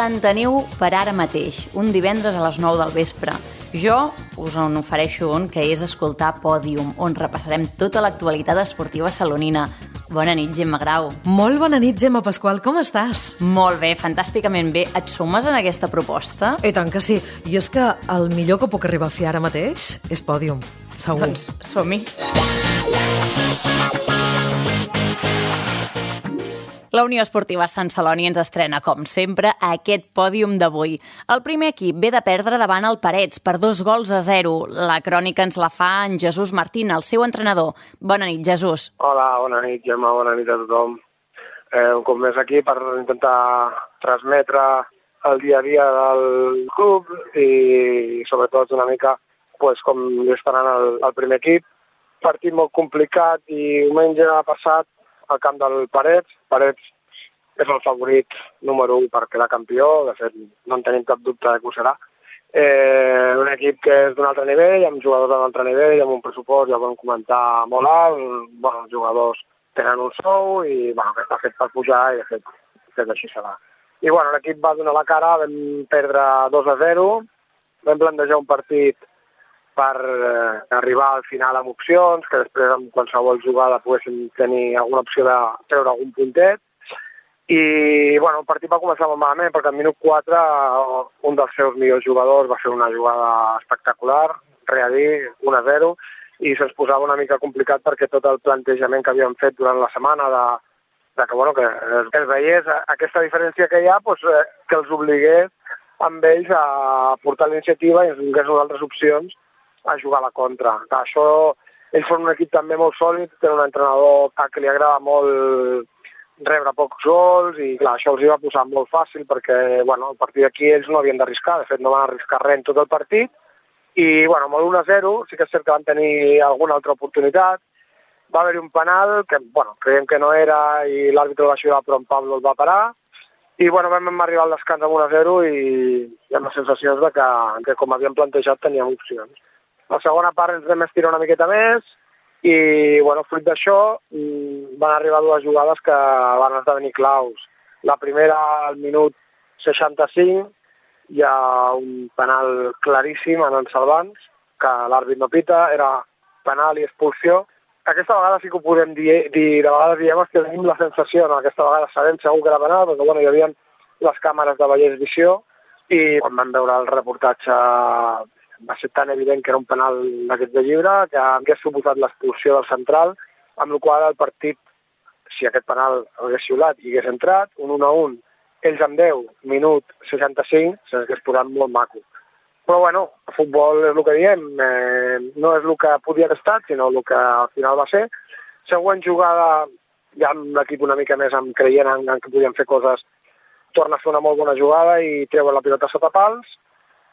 l'enteniu per ara mateix, un divendres a les 9 del vespre. Jo us en ofereixo un que és escoltar Pòdium, on repassarem tota l'actualitat esportiva salonina. Bona nit, Gemma Grau. Molt bona nit, Gemma Pasqual. Com estàs? Molt bé, fantàsticament bé. Et sumes en aquesta proposta? I tant que sí. I és que el millor que puc arribar a fer ara mateix és Pòdium, segur. Doncs som-hi. La Unió Esportiva Sant Celoni ens estrena, com sempre, aquest pòdium d'avui. El primer equip ve de perdre davant el Parets per 2-0. La crònica ens la fa en Jesús Martín, el seu entrenador. Bona nit, Jesús. Hola, bona nit, Gemma, bona nit a tothom. Un cop més aquí per intentar transmetre el dia a dia del club i sobretot una mica com està anant el primer equip. Partit molt complicat i diumenge passat al camp del Parets. Parets és el favorit número 1 per quedar campió, de fet no en tenim cap dubte que ho serà. Un equip que és d'un altre nivell, amb jugadors d'un altre nivell, amb un pressupost, ja ho vam comentar, molt alt. Els jugadors tenen un sou i que està fet per pujar i de fet així serà. I l'equip va donar la cara, vam perdre 2-0, vam plantejar un partit per arribar al final amb opcions, que després amb qualsevol jugada poguéssim tenir alguna opció de treure algun puntet. I el partit va començar molt malament perquè al minut 4 un dels seus millors jugadors va fer una jugada espectacular, res a dir, 1-0, i se'ns posava una mica complicat perquè tot el plantejament que havíem fet durant la setmana que es veiés aquesta diferència que hi ha, que els obligués amb ells a portar la iniciativa i ens donés altres opcions a jugar a la contra. Això, ells són un equip també molt sòlid, tenen un entrenador que li agrada molt rebre pocs gols i això els hi va posar molt fàcil perquè a partir d'aquí ells no havien d'arriscar, de fet no van arriscar res en tot el partit i amb el 1-0 sí que és cert que van tenir alguna altra oportunitat. Va haver-hi un penal que creiem que no era i l'àrbitre va xiular però en Pablo el va parar i vam arribar al descans amb 1-0 i amb les sensacions que com havíem plantejat teníem opcions. La segona part ens vam estirar una miqueta més i, fruit d'això, van arribar dues jugades que van esdevenir claus. La primera, al minut 65, hi ha un penal claríssim en Salvans, que l'àrbit no pita, era penal i expulsió. Aquesta vegada sí que ho podem dir, de vegades diem que tenim la sensació, aquesta vegada sabem segur que era penal, perquè hi havia les càmeres de Vallès Visió i quan vam veure el reportatge va ser tan evident que era un penal d'aquest de llibre que hagués suposat l'expulsió del central, amb la qual el partit, si aquest penal hagués xiulat i hagués entrat, un 1-1, ells amb 10, minut 65, s'hagués posat molt maco. Però el futbol és el que diem, no és el que podia haver estat, sinó el que al final va ser. Següent jugada, ja amb l'equip una mica més creient en que podien fer coses, torna a fer una molt bona jugada i treuen la pilota sota pals,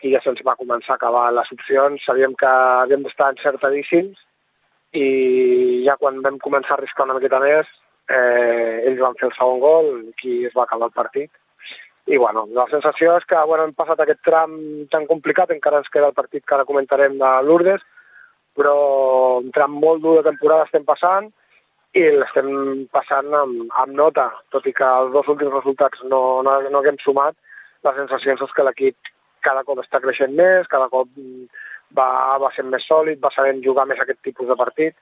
i ja se'ns va començar a acabar les opcions, sabíem que havíem d'estar encertadíssims i ja quan vam començar a arriscar una miqueta més, ells van fer el segon gol i es va acabar el partit. I la sensació és que hem passat aquest tram tan complicat, encara ens queda el partit que ara comentarem de Lourdes, però un tram molt dur de temporada estem passant i l'estem passant amb nota, tot i que els dos últims resultats no haguem sumat, la sensació és que l'equip cada cop està creixent més, cada cop va sent més sòlid, va sabent jugar més aquest tipus de partit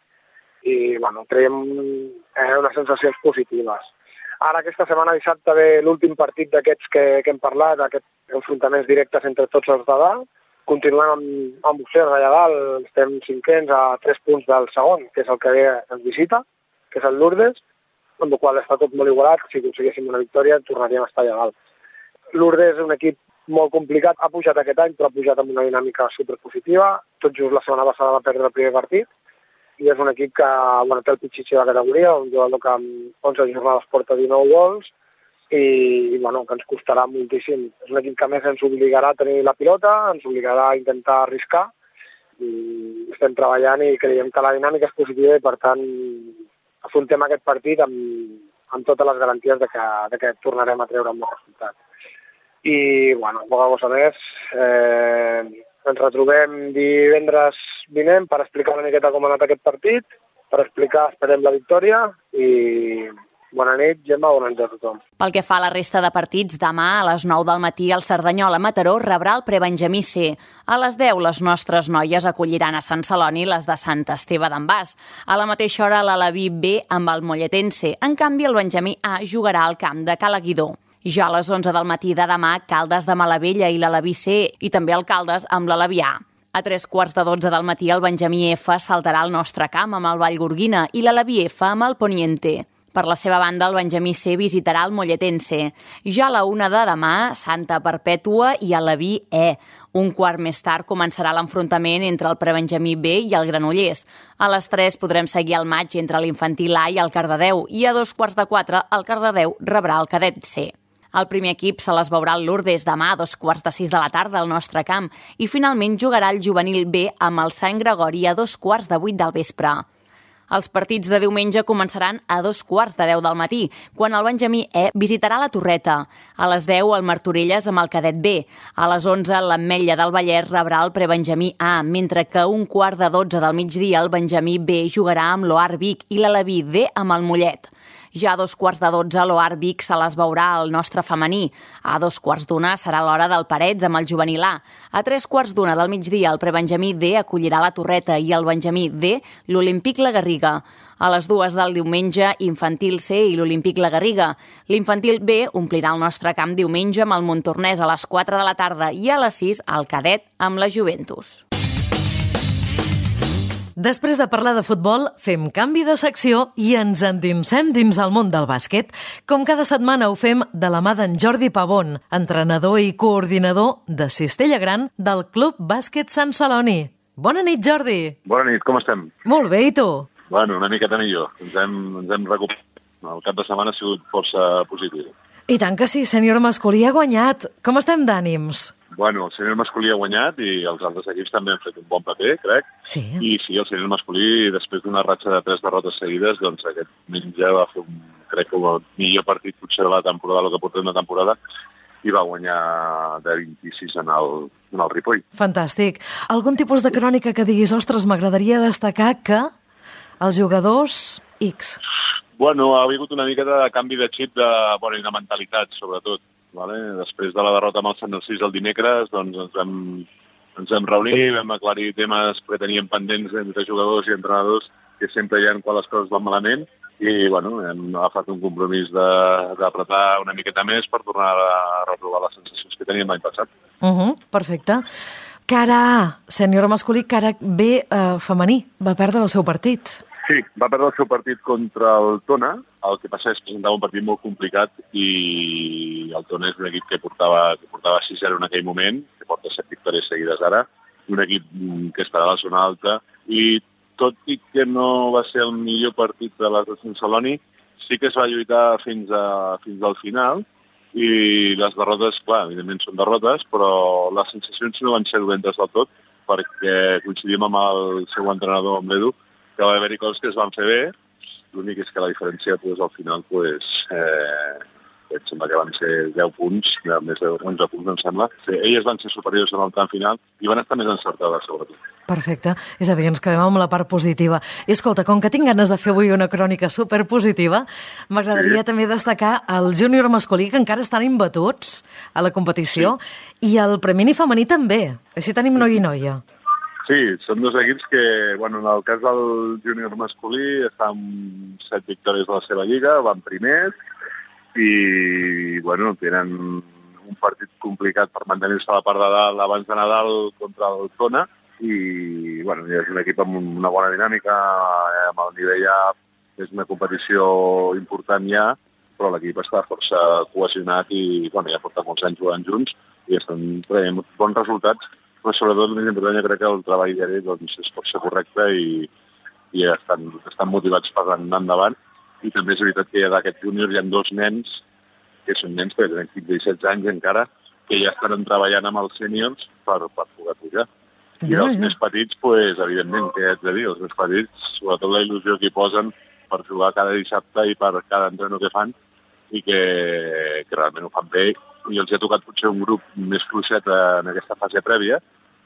i creiem unes sensacions positives. Ara aquesta setmana dissabte ve l'últim partit d'aquests que hem parlat, d'aquests enfrontaments directes entre tots els de dalt. Continuem amb opcions allà dalt, estem cinquens a 3 punts del segon, que és el que ens visita, que és el Lourdes, amb el qual està tot molt igualat, si aconseguíssim una victòria tornaríem a estar allà dalt. Lourdes és un equip molt complicat, ha pujat aquest any, però ha pujat amb una dinàmica superpositiva. Tot just la setmana passada va perdre el primer partit i és un equip que té el pitxitxi de la categoria, un jugador que amb 11 jornades porta 19 gols i que ens costarà moltíssim. És un equip que més ens obligarà a tenir la pilota, ens obligarà a intentar arriscar. Estem treballant i creiem que la dinàmica és positiva i per tant afrontem aquest partit amb totes les garanties de que tornarem a treure un bon resultat. I, poca cosa més. Ens retrobem divendres vinent per explicar una miqueta com ha anat aquest partit, per explicar, esperem, la victòria i Bona nit, Gemma, bona nit a tothom. Pel que fa a la resta de partits, demà a les 9 del matí el Cerdanyola Mataró rebrà el prebenjamí C. A les 10 les nostres noies acolliran a Sant Celoni les de Sant Esteve d'en Bas. A la mateixa hora l'Aleví B amb el Molletense. En canvi, el benjamí A jugarà al camp de Cala Guidó. Ja a les 11 del matí de demà, Caldes de Malavella i l'Aleví C i també el Caldes amb l'Aleví A. A 3:15 del matí el benjamí F saltarà al nostre camp amb el Vallgorguina i l'Aleví F amb el Poniente. Per la seva banda, el benjamí C visitarà el Molletense. Ja a la 1 de demà, Santa Perpètua i Aleví E. Un quart més tard començarà l'enfrontament entre el prebenjamí B i el Granollers. A les 3 podrem seguir el maig entre l'infantil A i el Cardedeu i a 3:45 el Cardedeu rebrà el cadet C. El primer equip se les veurà al Lourdes demà a 5:45 de la tarda al nostre camp i finalment jugarà el juvenil B amb el Sant Gregori a 7:15 del vespre. Els partits de diumenge començaran a 9:15 del matí, quan el benjamí E visitarà la Torreta. A les 10 el Martorelles amb el cadet B. A les 11 l'Ametlla del Vallès rebrà el prebenjamí A, mentre que a 11:45 del migdia el benjamí B jugarà amb l'Oar Vic i l'Aleví D amb el Mollet. Ja a 2:15 l'Oar Vic se les veurà al nostre femení. A 2:15 serà l'hora del Parets amb el juvenil A. A 3:15 del migdia el prebenjamí D acollirà la Torreta i el benjamí D l'Olímpic La Garriga. A les 2 del diumenge, infantil C i l'Olímpic La Garriga. L'infantil B omplirà el nostre camp diumenge amb el Montornès a les 4 de la tarda i a les 6 el cadet amb la Juventus. Després de parlar de futbol, fem canvi de secció i ens endinsem dins el món del bàsquet. Com cada setmana ho fem de la mà d'en Jordi Pavón, entrenador i coordinador de Cistella Gran del Club Bàsquet Sant Celoni. Bona nit, Jordi. Bona nit, com estem? Molt bé, i tu? Bueno, una miqueta millor. Ens hem recuperat. El cap de setmana ha sigut força positiu. I tant que sí, sènior masculí ha guanyat. Com estem d'ànims? Bueno, el sènior masculí ha guanyat i els altres equips també han fet un bon paper, crec. Sí. I sí, el sènior masculí, després d'una ratxa de 3 derrotes seguides, doncs aquest diumenge va fer crec que el millor partit potser de la temporada, el que portem de temporada, i va guanyar de 26 en el Ripoll. Fantàstic. Algun tipus de crònica que diguis, ostres, m'agradaria destacar que els jugadors X. Bueno, ha hagut una mica de canvi de xip i de mentalitat, sobretot. Vale? Després de la derrota amb el Sant Narcís el dimecres, doncs ens vam reunir, vam aclarir temes que teníem pendents entre jugadors i entrenadors, que sempre hi ha quan les coses van malament, i bueno, hem agafat un compromís d'apretar una miqueta més per tornar a retrobar les sensacions que teníem l'any passat. Perfecte. Cara A, sènior masculí, cara B, femení, va perdre el seu partit. Sí, va perdre el seu partit contra el Tona. El que passa és que presentava un partit molt complicat i el Tona és un equip que portava 6-0 en aquell moment, que porta 7 victòries seguides ara, un equip que estarà a la zona alta, i tot i que no va ser el millor partit de les de Sant Celoni, sí que es va lluitar fins al final, i les derrotes, clar, evidentment són derrotes, però les sensacions no van ser dolentes del tot, perquè coincidim amb el seu entrenador, amb l'Edu, que va haver-hi coses que es van fer bé, l'únic és que la diferència al final em sembla que van ser 10 punts, més de 11 punts em sembla. Elles van ser superiors en el tram final i van estar més encertades sobretot. Perfecte, és a dir, ens quedem amb la part positiva. I escolta, com que tinc ganes de fer avui una crònica superpositiva, m'agradaria també destacar el júnior masculí, que encara estan imbatuts a la competició, i el femení femení també. Així tenim noi i noia. Sí, són dos equips que, en el cas del júnior masculí, estan amb 7 victòries de la seva lliga, van primers, i, tenen un partit complicat per mantenir-se a la part de dalt abans de Nadal contra el Tona, i, és un equip amb una bona dinàmica, amb el nivell ja és una competició important ja, però l'equip està força cohesionat i, ja porta molts anys jugant junts i estan traient bons resultats, però sobretot més important jo crec que el treball diari és força correcte i estan motivats per anar endavant. I també és veritat que d'aquest júnior hi ha 2 nens, que són nens que tenen 15 i 16 anys encara, que ja estan treballant amb els sèniors per poder pujar. I els més petits, evidentment, què haig de dir? Els més petits, sobretot la il·lusió que hi posen per jugar cada dissabte i per cada entreno que fan, i que realment ho fan bé. I els ha tocat potser un grup més fluixet en aquesta fase prèvia,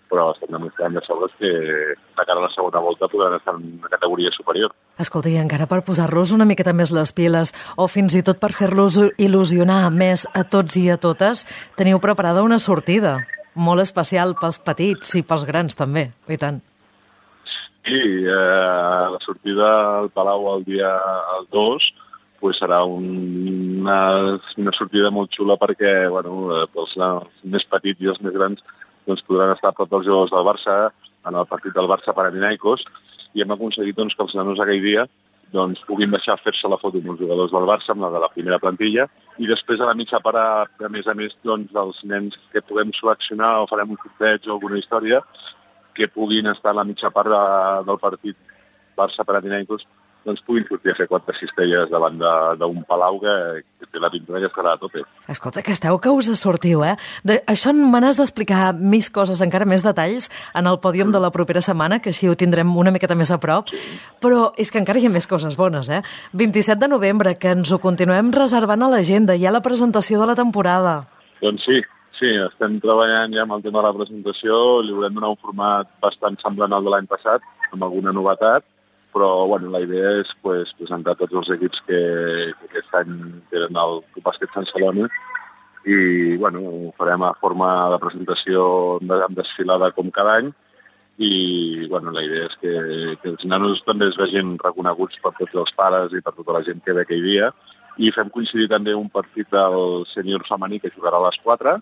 però estem demostrant de sobres que de cara a la segona volta podran estar en una categoria superior. Escolta, i encara per posar-los una miqueta més les piles o fins i tot per fer-los il·lusionar més a tots i a totes, teniu preparada una sortida molt especial pels petits i pels grans també, i tant. Sí, la sortida al Palau el dia 2 serà una sortida molt xula perquè els més petits i els més grans podran estar a prop dels jugadors del Barça en el partit del Barça-Panathinaikos i hem aconseguit que els nanos aquell dia puguin deixar fer-se la foto amb els jugadors del Barça, amb la de la primera plantilla, i després a la mitja part, a més, els nens que puguem seleccionar o farem un sorteig o alguna història que puguin estar a la mitja part del partit Barça-Panathinaikos puguin sortir a fer 4 cistelles davant d'un Palau que té la pintura que estarà a tope. Escolta, que esteu que us sortiu, eh? Això me n'has d'explicar més coses, encara més detalls, en el pòdium de la propera setmana, que així ho tindrem una miqueta més a prop, però és que encara hi ha més coses bones, eh? 27 de novembre, que ens ho continuem reservant a l'agenda, hi ha la presentació de la temporada. Doncs sí, estem treballant ja amb el tema de la presentació, li volem donar un format bastant semblant al de l'any passat, amb alguna novetat, però la idea és presentar tots els equips que aquest any tenen el Club Bàsquet Sant Celoni i ho farem a forma de presentació amb desfilada com cada any i la idea és que els nanos també es vegin reconeguts per tots els pares i per tota la gent que ve aquell dia i fem coincidir també un partit del sènior femení que jugarà a les 4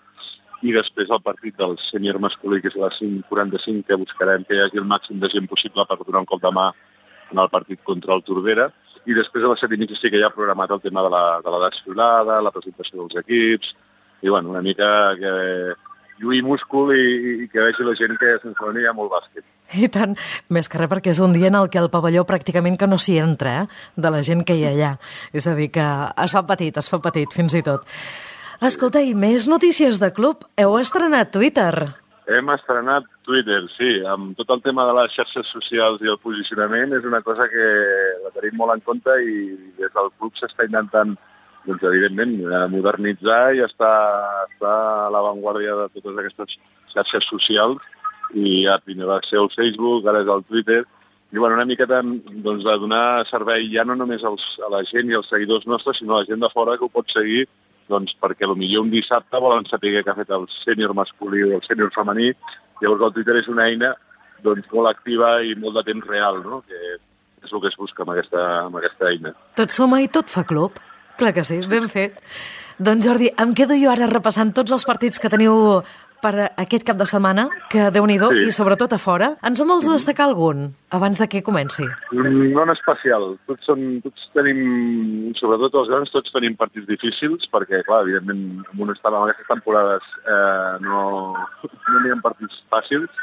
i després el partit del sènior masculí que és a les 5:45 que buscarem que hi hagi el màxim de gent possible per donar un cop de mà en el partit contra el Tordera, i després a les 7:30 sí que ja ha programat el tema de la desfilada, la presentació dels equips, i una mica que lluï múscul i que vegi la gent que a Sant Celoni hi ha molt bàsquet. I tant, més que res perquè és un dia en el que el pavelló pràcticament que no s'hi entra, de la gent que hi ha allà. És a dir, que es fa petit fins i tot. Escolta, i més notícies de club. Heu estrenat Twitter. Hem estrenat Twitter, sí, amb tot el tema de les xarxes socials i el posicionament és una cosa que la tenim molt en compte i des del club s'està intentant, evidentment, modernitzar i estar a l'avantguàrdia de totes aquestes xarxes socials i primer va ser el Facebook, ara és el Twitter, i una miqueta de donar servei ja no només a la gent i als seguidors nostres, sinó a la gent de fora que ho pot seguir perquè potser un dissabte volen saber què ha fet el sènior masculí o el sènior femení. Llavors el Twitter és una eina molt activa i molt de temps real, no? Que és el que es busca amb aquesta eina. Tot suma i tot fa club. Clar que sí, ben fet. Doncs Jordi, em quedo jo ara repassant tots els partits que teniu per aquest cap de setmana, que Déu-n'hi-do, sí. I sobretot a fora. Ens en vols destacar algun, abans de que comenci? No en especial. Tots tenim, sobretot els grans, tots tenim partits difícils, perquè, clar, evidentment, en aquestes temporades no n'hi ha partits fàcils,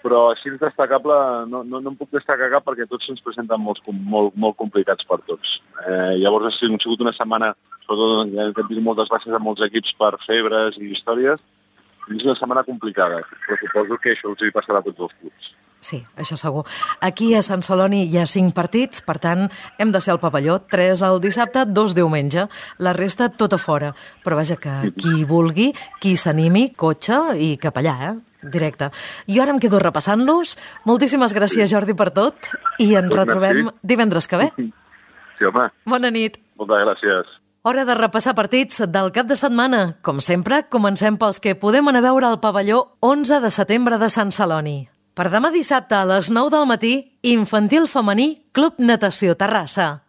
però així destacable no en puc destacar cap perquè tots se'ns presenten molt complicats per tots. Llavors ha sigut una setmana, sobretot que hem tingut moltes baixes amb molts equips per febres i històries, és una setmana complicada, però suposo que això els hi passarà a tots els clubs. Sí, això segur. Aquí a Sant Celoni hi ha 5 partits, per tant, hem de ser al pavelló, 3 el dissabte, 2 diumenge, la resta tot a fora. Però vaja, que qui vulgui, qui s'animi, cotxe i cap allà, directe. Jo ara em quedo repassant-los. Moltíssimes gràcies, Jordi, per tot, i ens retrobem divendres que ve. Sí, home. Bona nit. Moltes gràcies. Hora de repassar partits del cap de setmana. Com sempre, comencem pels que podem anar a veure al pavelló 11 de setembre de Sant Celoni. Per demà dissabte a les 9 del matí, Infantil Femení, Club Natació Terrassa.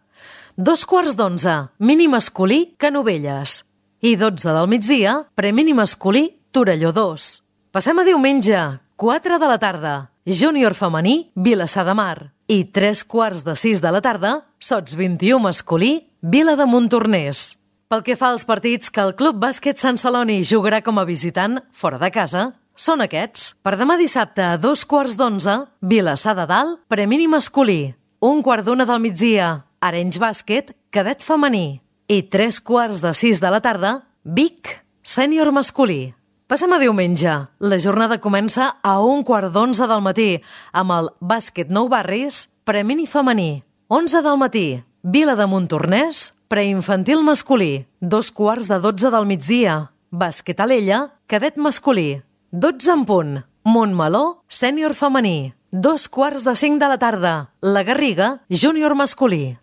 11:15, mini masculí, Canovelles. I 12 del migdia, premini masculí, Torelló 2. Passem a diumenge, 4 de la tarda, júnior femení, Vilassar de Mar. I 3:15 de la tarda, Sots 21 masculí, Vila de Montornès. Pel que fa als partits que el Club Bàsquet Sant Celoni jugarà com a visitant fora de casa, són aquests. Per demà dissabte a 2:15, Vilassar de Dalt, premini masculí. 1:15 del migdia, Arenys Bàsquet, cadet femení. I 3:15 de la tarda, Vic, sènior masculí. Passem a diumenge. La jornada comença a 1:15 del matí amb el Bàsquet Nou Barris, premini femení. 11 del matí, Vila de Montornès, preinfantil masculí. 2:15 del migdia, Bàsquet Alella, cadet masculí. 12 en punt, Montmeló, sènior femení. 2:45 de la tarda. La Garriga, júnior masculí.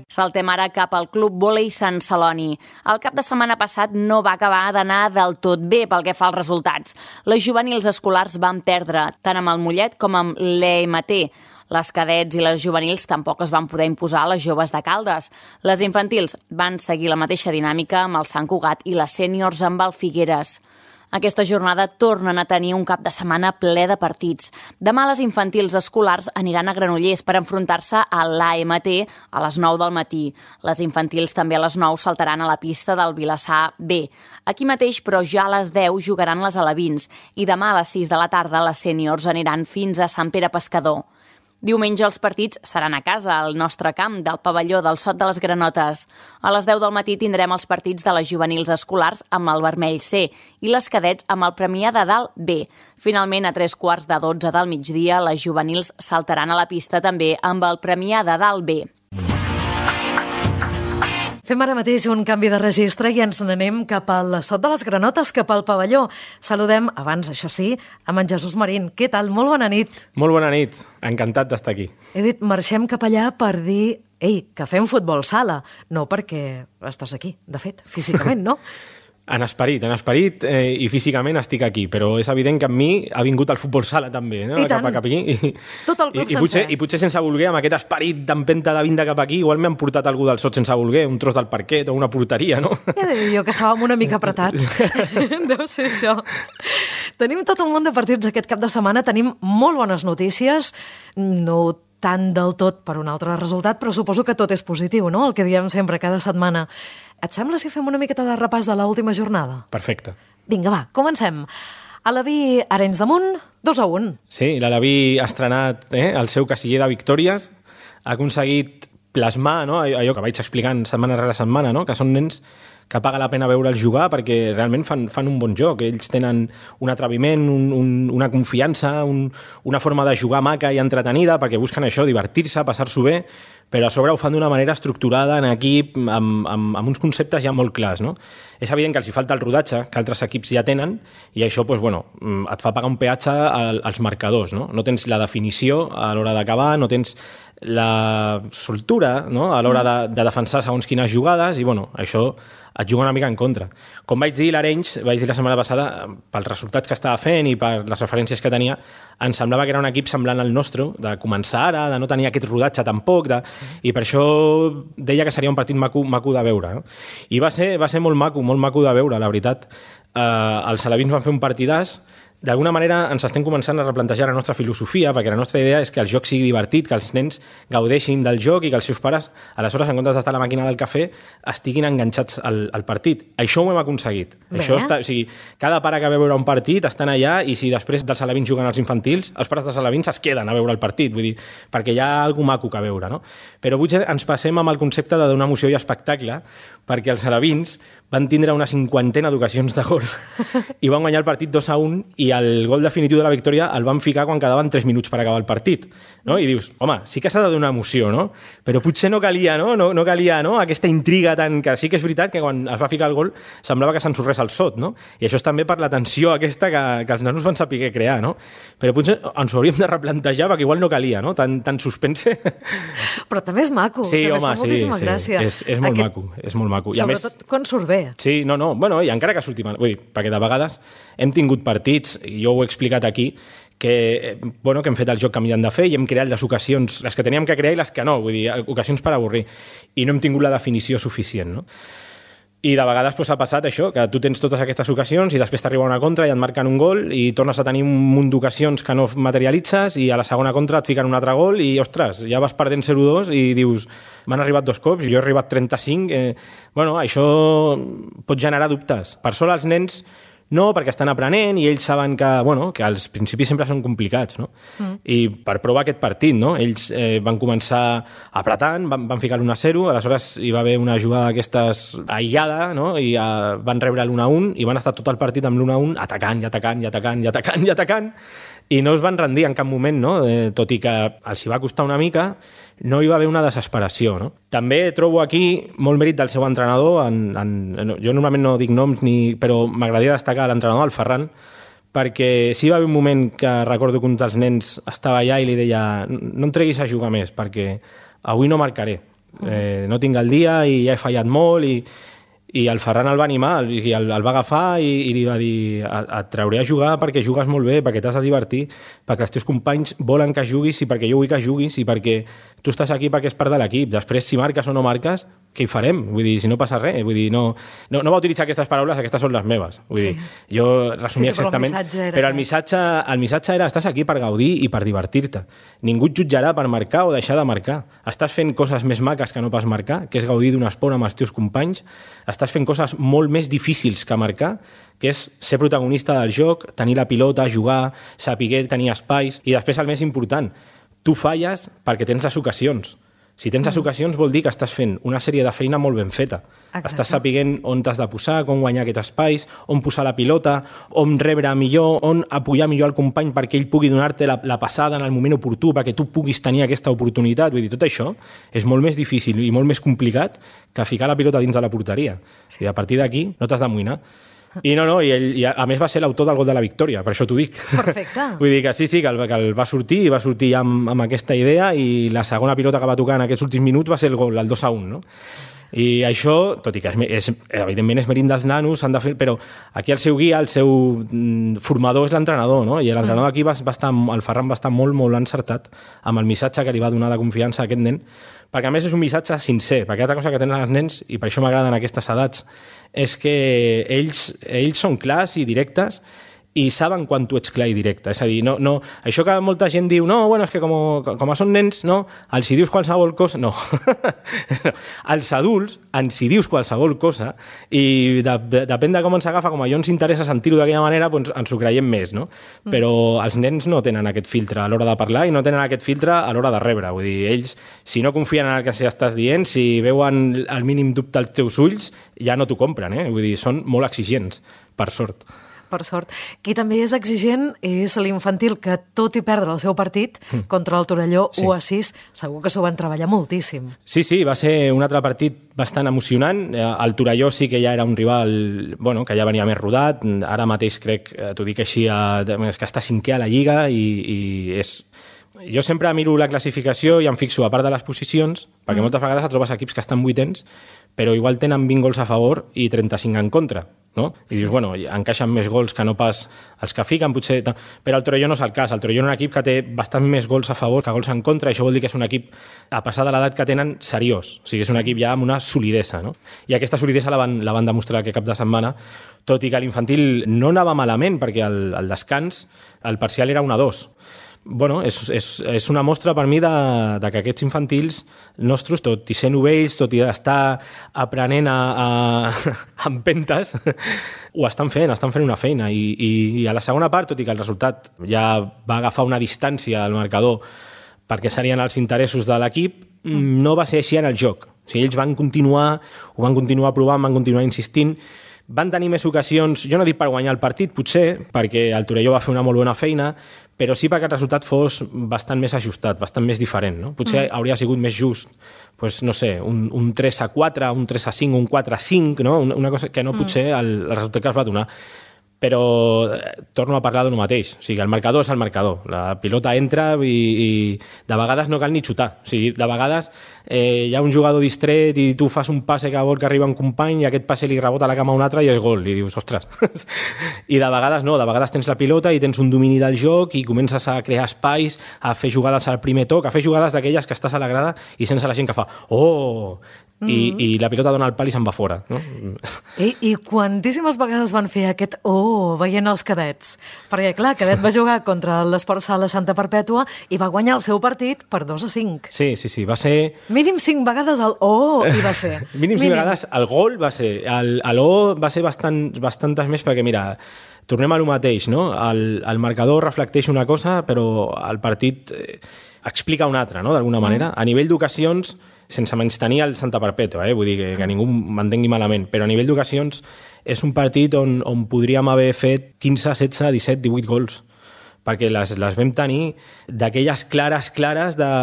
Saltem ara cap al Club Vòlei Sant Celoni. El cap de setmana passat no va acabar d'anar del tot bé pel que fa als resultats. Les juvenils escolars van perdre, tant amb el Mollet com amb l'EMT. Les cadets i les juvenils tampoc es van poder imposar a les joves de Caldes. Les infantils van seguir la mateixa dinàmica amb el Sant Cugat i les sèniors amb el Figueres. Aquesta jornada tornen a tenir un cap de setmana ple de partits. Demà les infantils escolars aniran a Granollers per enfrontar-se a l'AMT a les 9 del matí. Les infantils també a les 9 saltaran a la pista del Vilassar B. Aquí mateix, però ja a les 10 jugaran les alevins i demà a les 6 de la tarda les sèniors aniran fins a Sant Pere Pescador. Diumenge els partits seran a casa, al nostre camp del pavelló del Sot de les Granotes. A les 10 del matí tindrem els partits de les juvenils escolars amb el Vermell C i les cadets amb el Premià de Dalt B. Finalment, a 3:45 del migdia, les juvenils saltaran a la pista també amb el Premià de Dalt B. Fem ara mateix un canvi de registre i ens n'anem cap al Sot de les Granotes, cap al pavelló. Saludem, abans, això sí, amb en Jesús Marín. Què tal? Molt bona nit. Molt bona nit. Encantat d'estar aquí. He dit, marxem cap allà per dir, ei, que fem futbol sala. No perquè estàs aquí, de fet, físicament, no? En esperit i físicament estic aquí, però és evident que amb mi ha vingut el futbol sala també, no? I tant. Cap aquí. Tot el club sencer. I potser sense voler, amb aquest esperit d'empenta de vindre cap aquí, igual m'han portat algú del Sot sense voler, un tros del parquet o una porteria, no? Ja he de dir jo que estàvem una mica apretats. Deu ser això. Tenim tot un munt de partits aquest cap de setmana, tenim molt bones notícies, no tant del tot per un altre resultat, però suposo que tot és positiu, no?, el que diem sempre cada setmana. Et sembla si fem una miqueta de repàs de l'última jornada? Perfecte. Vinga, va, comencem. Alaví, Arenys de Munt, 2-1. Sí, l'Alaví ha estrenat el seu casiller de victòries, ha aconseguit plasmar, no?, allò que vaig explicant setmana rere setmana, no?, que són nens que paga la pena veure'ls jugar perquè realment fan un bon joc. Ells tenen un atreviment, una confiança, una forma de jugar maca i entretenida perquè busquen això, divertir-se, passar-s'ho bé, però a sobre ho fan d'una manera estructurada en equip, amb uns conceptes ja molt clars, no? És evident que els hi falta el rodatge, que altres equips ja tenen, i això doncs, bueno, et fa pagar un peatge als marcadors, no? No tens la definició a l'hora d'acabar, no tens la soltura, no?, a l'hora de defensar segons quines jugades, i bueno, això et juga una mica en contra. Com vaig dir l'Arenys, vaig dir la setmana passada, pels resultats que estava fent i per les referències que tenia, em semblava que era un equip semblant al nostre, de començar ara, de no tenir aquest rodatge tampoc, i per això deia que seria un partit maco de veure. No? I va ser molt maco de veure, la veritat. Els alevins van fer un partidàs. D'alguna manera ens estem començant a replantejar la nostra filosofia, perquè la nostra idea és que el joc sigui divertit, que els nens gaudeixin del joc i que els seus pares, aleshores, en comptes d'estar a la màquina del cafè, estiguin enganxats al partit. Això ho hem aconseguit. Això o sigui, cada pare que ve a veure un partit estan allà, i si després dels alevins juguen als infantils, els pares dels alevins es queden a veure el partit, vull dir, perquè hi ha alguna maco que veure, no? Però potser ens passem amb el concepte de donar emoció i espectacle, perquè els alevins van tindre una 50ena d'ocasions de gol i van guanyar el partit 2-1, i el gol definitiu de la victòria el van ficar quan quedaven 3 minuts per acabar el partit, no? I dius, home, sí que s'ha de donar emoció, no? Però potser no calia, no calia, no?, aquesta intriga tan... que sí que és veritat que quan es va ficar el gol semblava que s'ensorrés el Sot, no? I això és també per la tensió aquesta que els nanos van saber crear, no? Però potser ens ho hauríem de replantejar perquè igual no calia, no?, tan suspense. Però també és maco, sí, també home, fa moltíssima gràcia. És molt maco, és molt maco. I sobretot quan surt bé. Sí, bueno, i encara que surti mal, vull dir, perquè de vegades hem tingut partits, i jo ho he explicat aquí, que hem fet el joc que hem de fer i hem creat les ocasions, les que teníem que crear i les que no, vull dir, ocasions per avorrir, i no hem tingut la definició suficient, no? I de vegades ha passat això, que tu tens totes aquestes ocasions i després t'arriba una contra i et marquen un gol i tornes a tenir un munt d'ocasions que no materialitzes, i a la segona contra et fiquen un altre gol i, ostres, ja vas perdent 0-2 i dius, m'han arribat 2 cops, jo he arribat 35... això pot generar dubtes. Per sort els nens no, perquè estan aprenent i ells saben que els principis sempre són complicats, no? I per provar aquest partit, no? Ells van començar apretant, van ficar l'1-0, aleshores hi va haver una jugada d'aquestes aïllada, no? I van rebre l'1-1 i van estar tot el partit amb l'1-1 atacant, i no es van rendir en cap moment, no? Tot i que els hi va costar una mica, no hi va haver una desesperació, no? També trobo aquí molt mèrit del seu entrenador, jo normalment no dic noms, però m'agradaria destacar l'entrenador, el Ferran, perquè sí va haver un moment que recordo que un dels nens estava allà i li deia no em treguis a jugar més perquè avui no marcaré, no tinc el dia i ja he fallat molt i el Ferran el va animar i el va agafar i li va dir et trauré a jugar perquè jugues molt bé, perquè t'has de divertir, perquè els teus companys volen que juguis i perquè jo vull que juguis i perquè tu estàs aquí perquè és part de l'equip. Després, si marques o no marques, què hi farem? Vull dir, si no passa res. Vull dir, no va utilitzar aquestes paraules, aquestes són les meves. Vull dir, jo resumia exactament... Però el missatge era estàs aquí per gaudir i per divertir-te. Ningú et jutjarà per marcar o deixar de marcar. Estàs fent coses més maques que no pas marcar, que és gaudir d'un esport amb els teus companys. Estàs fent coses molt més difícils que marcar, que és ser protagonista del joc, tenir la pilota, jugar, saber tenir espais, i després el més important, tu falles perquè tens les ocasions. Si tens les ocasions vol dir que estàs fent una sèrie de feina molt ben feta. Exacte. Estàs sapiguent on t'has de posar, com guanyar aquests espais, on posar la pilota, on rebre millor, on apoyar millor el company perquè ell pugui donar-te la passada en el moment oportú, perquè tu puguis tenir aquesta oportunitat. Vull dir, tot això és molt més difícil i molt més complicat que ficar la pilota dins de la porteria. Sí. I a partir d'aquí no t'has d'amoïnar. I i a més va ser l'autor del gol de la victòria, per això t'ho dic. Perfecte. Vull dir que sí, que el va sortir ja amb aquesta idea i la segona pilota que va tocar en aquests últims minuts va ser el gol, el 2-1, no? I això, tot i que evidentment és mèrit dels nanos, s'han de fer, però aquí el seu guia, el seu formador és l'entrenador, no? I l'entrenador aquí el Ferran va estar molt, molt encertat amb el missatge que li va donar de confiança a aquest nen, perquè a més és un missatge sincer, perquè altra cosa que tenen els nens, i per això m'agraden aquestes edats, és que ells són clars i directes i saben quan tu ets clar i directe. És a dir, no, això que molta gent diu no, bueno, és que com són nens, no, els hi dius qualsevol cosa... No. Els adults ens hi dius qualsevol cosa i depèn de com ens agafa, com a allò ens interessa sentir-ho d'aquella manera, doncs ens ho creiem més, no? Però els nens no tenen aquest filtre a l'hora de parlar i no tenen aquest filtre a l'hora de rebre. Vull dir, ells, si no confien en el que estàs dient, si veuen el mínim dubte als teus ulls, ja no t'ho compren, eh? Vull dir, són molt exigents, per sort. Per sort. Qui també és exigent és l'infantil, que tot i perdre el seu partit contra el Torelló 1-6, segur que s'ho van treballar moltíssim. Sí, va ser un altre partit bastant emocionant. El Torelló sí que ja era un rival que ja venia més rodat. Ara mateix crec, t'ho dic així, que està cinquè a la Lliga i és... Jo sempre miro la classificació i em fixo, a part de les posicions, perquè moltes vegades et trobes equips que estan vuitens, però igual tenen 20 gols a favor i 35 en contra, no? I dius, encaixen més gols que no pas els que fiquen, potser... Però el Torelló no és el cas. El Torelló és un equip que té bastant més gols a favor que gols en contra, i això vol dir que és un equip, a passar de l'edat que tenen, seriós. O sigui, és un equip ja amb una solidesa, no? I aquesta solidesa la van demostrar aquest cap de setmana, tot i que l'infantil no anava malament, perquè el descans, el parcial era 1-2. És una mostra per mi de que aquests infantils nostres, tot i ser novells, tot i estar aprenent a empentes, ho estan fent una feina. I a la segona part, tot i que el resultat ja va agafar una distància al marcador perquè serien els interessos de l'equip, no va ser així en el joc. O sigui, ells ho van continuar provant, van continuar insistint, van tenir més ocasions, jo no dic per guanyar el partit, potser, perquè el Torelló va fer una molt bona feina, però sí perquè el resultat fos bastant més ajustat, bastant més diferent, no? Potser hauria sigut més just, no sé, un 3-4, un 3-5, un 4-5, no? Una cosa que no potser el resultat que es va donar. Però torno a parlar d'una mateix. O sigui, el marcador és el marcador. La pilota entra i de vegades no cal ni xutar. O sigui, de vegades hi ha un jugador distret i tu fas un passe que vol que arriba un company i aquest passe li rebota a la cama a un altre i és gol. I dius, ostres. I de vegades no, de vegades tens la pilota i tens un domini del joc i comences a crear espais, a fer jugades al primer toc, a fer jugades d'aquelles que estàs a la grada i sense la gent que fa oh! I la pilota dona el pal i se'n va fora, no? I quantíssimes vegades van fer aquest veient els cadets, perquè clar, cadet va jugar contra l'Esport Sala Santa Perpètua i va guanyar el seu partit per 2-5. Sí, va ser... Mínim 5 vegades el i va ser. Mínim 5 vegades el gol va ser, va ser bastantes més, perquè mira, tornem a lo mateix, no? El marcador reflecteix una cosa, però el partit explica una altra, no? D'alguna manera. A nivell d'ocasions, sense menystenir el Santa Perpètua, vull dir que ningú m'entengui malament, però a nivell d'ocasions és un partit on podríem haver fet 15, 16, 17, 18 gols, perquè les vam tenir d'aquelles clares,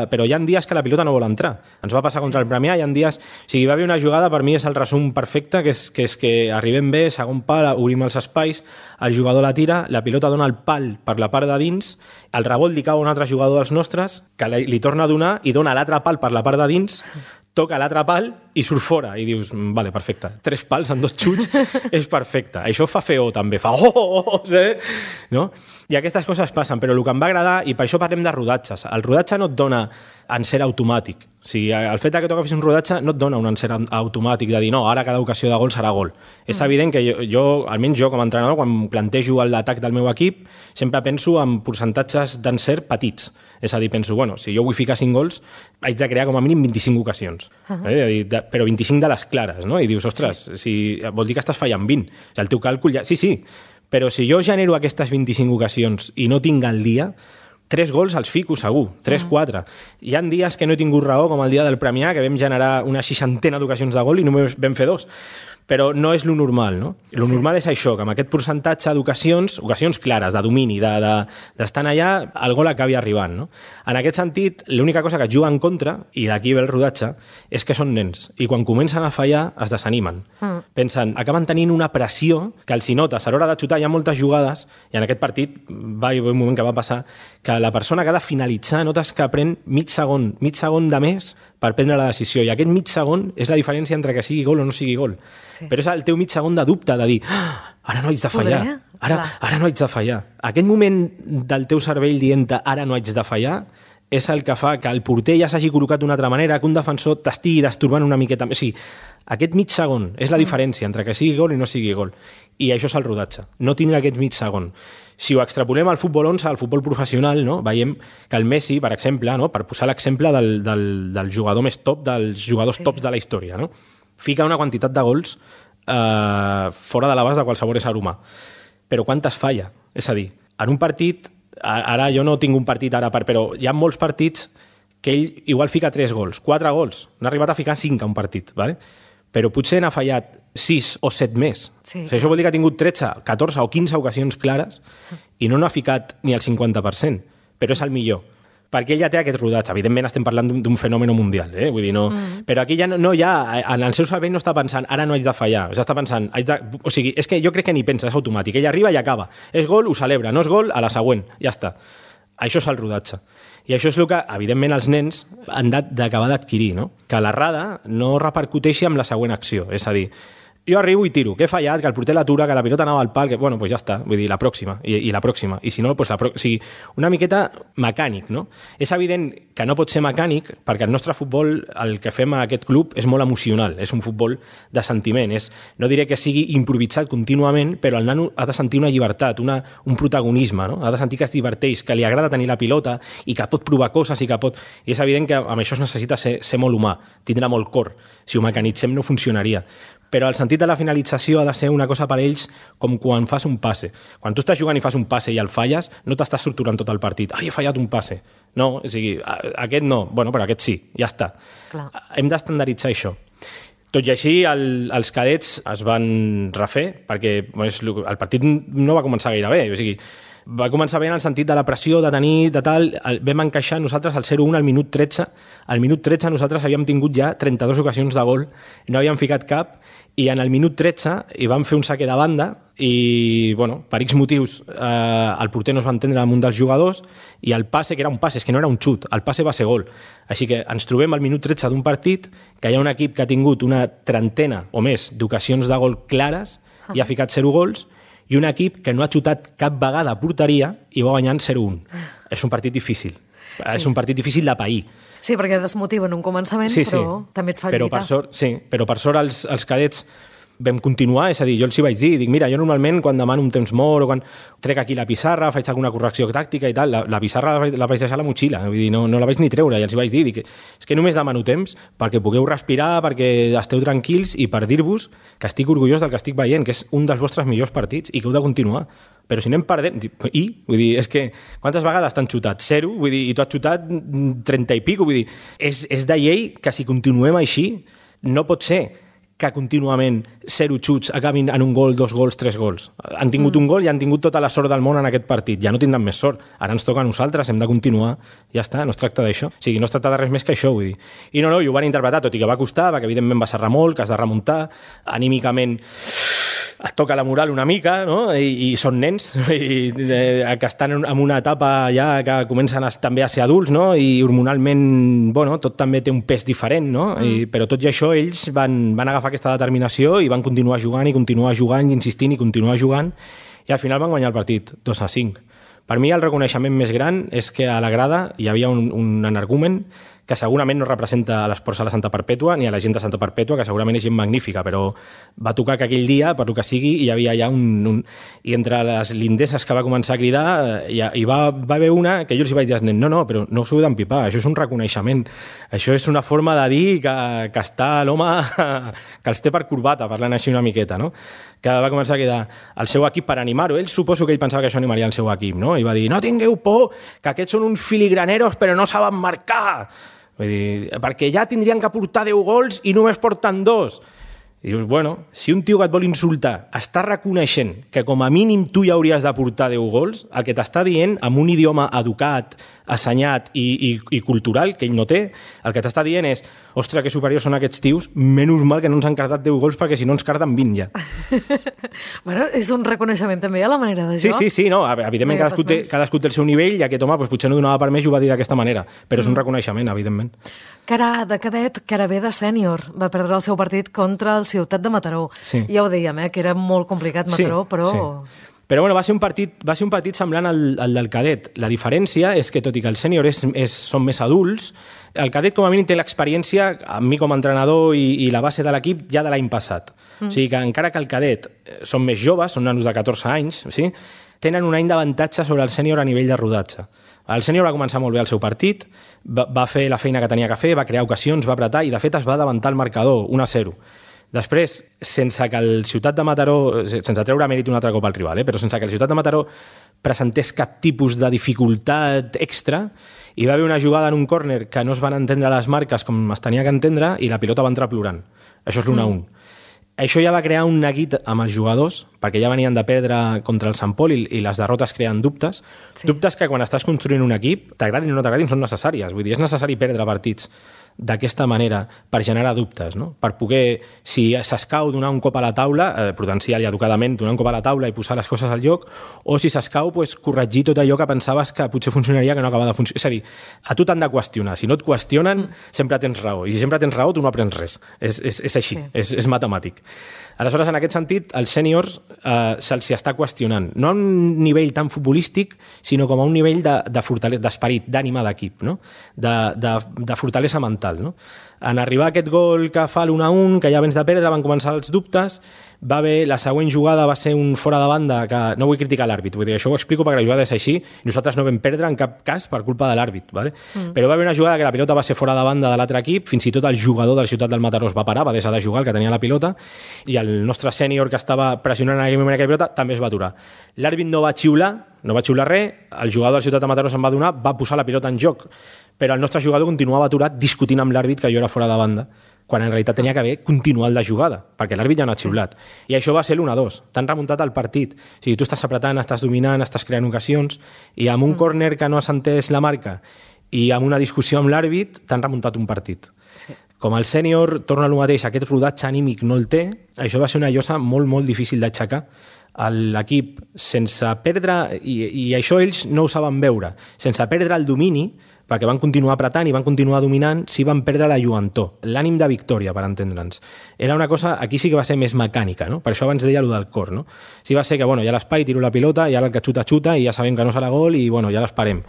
però hi ha dies que la pilota no vol entrar. Ens va passar contra el Premià, hi ha dies... O sigui, va haver una jugada, per mi és el resum perfecte, que és que arribem bé, segon pal, obrim els espais, el jugador la tira, la pilota dona el pal per la part de dins, el rebot li cau a un altre jugador dels nostres, que li torna a donar i dona l'altre pal per la part de dins, toca l'altre pal i surt fora. I dius, vale, perfecte. 3 pals en 2 xuts és perfecte. Això fa feo, també. Fa no? I aquestes coses passen, però el que em va agradar, i per això parlem de rodatges, el rodatge no et dona encert automàtic. O sigui, el fet que tu agafis un rodatge no et dona un encert automàtic de dir, no, ara cada ocasió de gol serà gol. És evident que almenys jo com a entrenador, quan plantejo l'atac del meu equip, sempre penso en percentatges d'encert petits. És a dir, penso, bueno, si jo vull ficar 5 gols, haig de crear com a mínim 25 ocasions. Però 25 de les clares, no? I dius, ostres, vol dir que estàs fallant 20. O sigui, el teu càlcul ja... Sí, però si jo genero aquestes 25 ocasions i no tinc el dia, 3 gols els fico segur, 3-4. Hi ha dies que no he tingut raó, com el dia del Premià, que vam generar una 60ena d'ocasions de gol i només vam fer 2. Però no és lo normal, no? Lo normal és això, que amb aquest percentatge d'ocasions clares, de domini, d'estar allà, el gol acabi arribant, no? En aquest sentit, l'única cosa que juga en contra, i d'aquí ve el rodatge, és que són nens. I quan comencen a fallar, es desanimen. Pensen, acaben tenint una pressió que els hi notes. A l'hora de xutar hi ha moltes jugades, i en aquest partit va haver un moment que va passar, que la persona que ha de finalitzar notes que pren mig segon de més per prendre la decisió. I aquest mig segon és la diferència entre que sigui gol o no sigui gol. Sí. Però és el teu mig segon de dubte, de dir, ara no haig de fallar, ara no haig de fallar. Aquest moment del teu cervell dient ara no haig de fallar és el que fa que el porter ja s'hagi col·locat d'una altra manera, que un defensor t'estigui destorbant una miqueta. O sigui, aquest mig segon és la diferència entre que sigui gol i no sigui gol. I això és el rodatge, no tindre aquest mig segon. Si ho extrapolem al futbol 11, al futbol professional, no? Veiem que el Messi, per exemple, no? Per posar l'exemple del jugador més top, dels jugadors tops de la història, no? Fica una quantitat de gols fora de l'abast de qualsevol ésser humà. Però quantes falla? És a dir, en un partit, ara jo no tinc un partit ara, però hi ha molts partits que ell igual fica 3 gols, 4 gols, n'ha arribat a ficar 5 a un partit, ¿vale? Però potser n'ha fallat 6 o 7 més. Sí. O sigui, això vol dir que ha tingut 13, 14 o 15 ocasions clares i no n'ha ficat ni el 50%, però és el millor. Perquè ell ja té aquest rodatge. Evidentment estem parlant d'un fenomen mundial, vull dir, no... Però aquí ja no hi ha... En el seu cervell no està pensant ara no haig de fallar, o sigui, està pensant... O sigui, és que jo crec que ni pensa, és automàtic. Ell arriba i acaba. És gol, ho celebra. No és gol, a la següent. Ja està. Això és el rodatge. I això és el que, evidentment, els nens han d'acabar d'adquirir, no? Que l'errada no repercuteixi amb la següent acció. És a dir, jo arribo i tiro, que he fallat, que el porter l'atura, que la pilota anava al pal, que, bueno, pues ja està, vull dir, la pròxima, i la pròxima. I si no, pues o sigui, una miqueta mecànic, no? És evident que no pot ser mecànic, perquè el nostre futbol, el que fem a aquest club, és molt emocional, és un futbol de sentiment, no diré que sigui improvisat contínuament, però el nano ha de sentir una llibertat, un protagonisme, no? Ha de sentir que es diverteix, que li agrada tenir la pilota, i que pot provar coses, i és evident que amb això es necessita ser molt humà, tindre molt cor. Si ho mecanitzem no funcionaria. Però el sentit de la finalització ha de ser una cosa per ells com quan fas un passe. Quan tu estàs jugant i fas un passe i el falles, no t'estàs torturant tot el partit. Ai, he fallat un passe. No, o sigui, aquest no. Bueno, però aquest sí, ja està. Clar. Hem d'estandarditzar això. Tot i així, els cadets es van refer, perquè el partit no va començar gaire bé. O sigui, va començar bé en el sentit de la pressió, de tenir, de tal... Vam encaixar nosaltres el 0-1 al minut 13. Al minut 13 nosaltres havíem tingut ja 32 ocasions de gol, no havíem ficat cap, i en el minut 13 hi vam fer un saque de banda i, bueno, per X motius el porter no es va entendre amb un dels jugadors i el passe, que era un passe, és que no era un xut, el passe va ser gol. Així que ens trobem al minut 13 d'un partit que hi ha un equip que ha tingut una trentena o més d'ocasions de gol clares i ha ficat 0 gols, i un equip que no ha xutat cap vegada a porteria i va guanyant 0-1. És un partit difícil. Sí. És un partit difícil de pair. Sí, perquè desmotiva en un començament, però també et fa lluitar. Però per sort els cadets vam continuar, és a dir, jo els hi vaig dir, dic, mira, jo normalment quan demano un temps mort o quan trec aquí la pissarra, faig alguna correcció tàctica i tal, la pissarra la vaig deixar a la motxilla, vull dir, no la vaig ni treure, i els hi vaig dir, dic, és que només demano temps perquè pugueu respirar, perquè esteu tranquils i per dir-vos que estic orgullós del que estic veient, que és un dels vostres millors partits i que heu de continuar. Però si anem perdent... Vull dir, és que quantes vegades t'han xutat? 0, vull dir, i tu has xutat 30 i pico, vull dir, és de llei que si continuem així no pot ser que contínuament 0 xuts acabin en un gol, 2 gols, 3 gols. Han tingut un gol i han tingut tota la sort del món en aquest partit. Ja no tindran més sort. Ara ens toca a nosaltres, hem de continuar. Ja està, no es tracta d'això. O sigui, no es tracta de res més que això, vull dir. I no, i ho van interpretar, tot i que va costar, perquè evidentment va serrar molt, que has de remuntar, anímicament et toca la moral una mica, no? I són nens que estan en una etapa ja que comencen també a ser adults, no? I hormonalment, bueno, tot també té un pes diferent, no? Però tot i això ells van agafar aquesta determinació i van continuar jugant i continuar jugant i insistint i continuar jugant i al final van guanyar el partit 2-5. Per mi el reconeixement més gran és que a la grada hi havia un energumen que segurament no representa a l'Esports Sala Santa Perpètua ni a la gent de Santa Perpètua, que segurament és gent magnífica, però va tocar que aquell dia, per lo que sigui, hi havia ja I entre les lindeses que va començar a cridar, hi va haver una que jo els vaig dir als nens, no, però no us heu d'empipar, això és un reconeixement, això és una forma de dir que està l'home que els té per corbata, parlant així una miqueta, no? Que va començar a cridar el seu equip per animar-ho. Ell suposo que ell pensava que això animaria el seu equip, no? I va dir, no tingueu por, que aquests són uns filigraneros però no saben marcar. Vull dir, perquè ja tindrien que portar 10 gols i només porten 2. I dius, bueno, si un tio que et vol insultar està reconeixent que com a mínim tu ja hauries de portar 10 gols, el que t'està dient, amb un idioma educat, assenyat i cultural, que ell no té, el que t'està dient és, ostres, que superiors són aquests tios, menys mal que no ens han cardat 10 gols perquè si no ens carden 20 ja. Bueno, és un reconeixement també a la manera de joc. Sí, no, evidentment cadascú té el seu nivell i aquest home potser no donava per més i ho va dir d'aquesta manera, però és un reconeixement, evidentment. Cara de cadet, cara B de sènior. Va perdre el seu partit contra el Ciutat de Mataró. Sí. Ja ho dèiem, que era molt complicat Mataró, sí, però... Sí. Però bueno, va ser un partit semblant al del cadet. La diferència és que, tot i que el sènior són més adults, el cadet com a mínim té l'experiència, amb mi com a entrenador i la base de l'equip, ja de l'any passat. O sigui que encara que el cadet són més joves, són nanos de 14 anys, sí? Tenen un any d'avantatge sobre el sènior a nivell de rodatge. El sènior va començar molt bé el seu partit, va fer la feina que tenia que fer, va crear ocasions, va apretar i de fet es va davantar el marcador, 1-0. Després, sense que el Ciutat de Mataró, sense treure mèrit un altre cop al rival, però sense que el Ciutat de Mataró presentés cap tipus de dificultat extra, hi va haver una jugada en un córner que no es van entendre les marques com es tenia que entendre i la pilota va entrar plorant. Això és l'1-1. Això ja va crear un neguit amb els jugadors, perquè ja venien de perdre contra el Sant Pol i les derrotes creen dubtes. Sí. Dubtes que quan estàs construint un equip, t'agradin o no t'agradin, són necessàries. Vull dir, és necessari perdre partits d'aquesta manera per generar dubtes, no? Per poder, si s'escau, donar un cop a la taula, prudencial i educadament, donar un cop a la taula i posar les coses al lloc, o si s'escau, pues, corregir tot allò que pensaves que potser funcionaria que no acaba de funcionar. És a dir, a tu t'han de qüestionar. Si no et qüestionen, sempre tens raó. I si sempre tens raó, tu no aprens res. És així, sí. És matemàtic. Aleshores, en aquest sentit, als sèniors se'ls està qüestionant. No a un nivell tan futbolístic, sinó com a un nivell de fortalesa, d'esperit, d'ànima d'equip, no? De fortalesa mental. No? En arribar a aquest gol que fa l'1-1, que ja vens de perdre, van començar els dubtes, va haver, la següent jugada va ser un fora de banda que no vull criticar l'àrbit, vull dir, això ho explico perquè la jugada és així, nosaltres no vam perdre en cap cas per culpa de l'àrbit, ¿vale? Però va haver una jugada que la pilota va ser fora de banda de l'altre equip, fins i tot el jugador del Ciutat del Mataró es va parar, va deixar de jugar, el que tenia la pilota, i el nostre sènior que estava pressionant en aquell moment aquella pilota també es va aturar. L'àrbit no va xiular res, el jugador del Ciutat de Mataró se'n va donar, va posar la pilota en joc, però el nostre jugador continuava aturat discutint amb l'àrbit que jo era fora de banda, quan en realitat tenia que haver continuat la jugada, perquè l'àrbit ja no ha xiulat. I això va ser l'1-2. T'han remuntat el partit. O sigui, tu estàs apretant, estàs dominant, estàs creant ocasions, i amb un córner que no has entès la marca i amb una discussió amb l'àrbit, t'han remuntat un partit. Sí. Com el sènior torna al mateix, aquest rodatge anímic no el té, això va ser una llosa molt, molt difícil d'aixecar. L'equip, sense perdre, i això ells no ho saben veure, sense perdre el domini, perquè van continuar apretant i van continuar dominant, sí van perdre la lluentor, l'ànim de victòria, per entendre'ns. Era una cosa, aquí sí que va ser més mecànica, no? Per això abans deia allò del cor, no? Sí va ser que, bueno, ja l'espai, tiro la pilota, ja el que xuta, i ja sabem que no serà gol, i, bueno, ja l'esperem.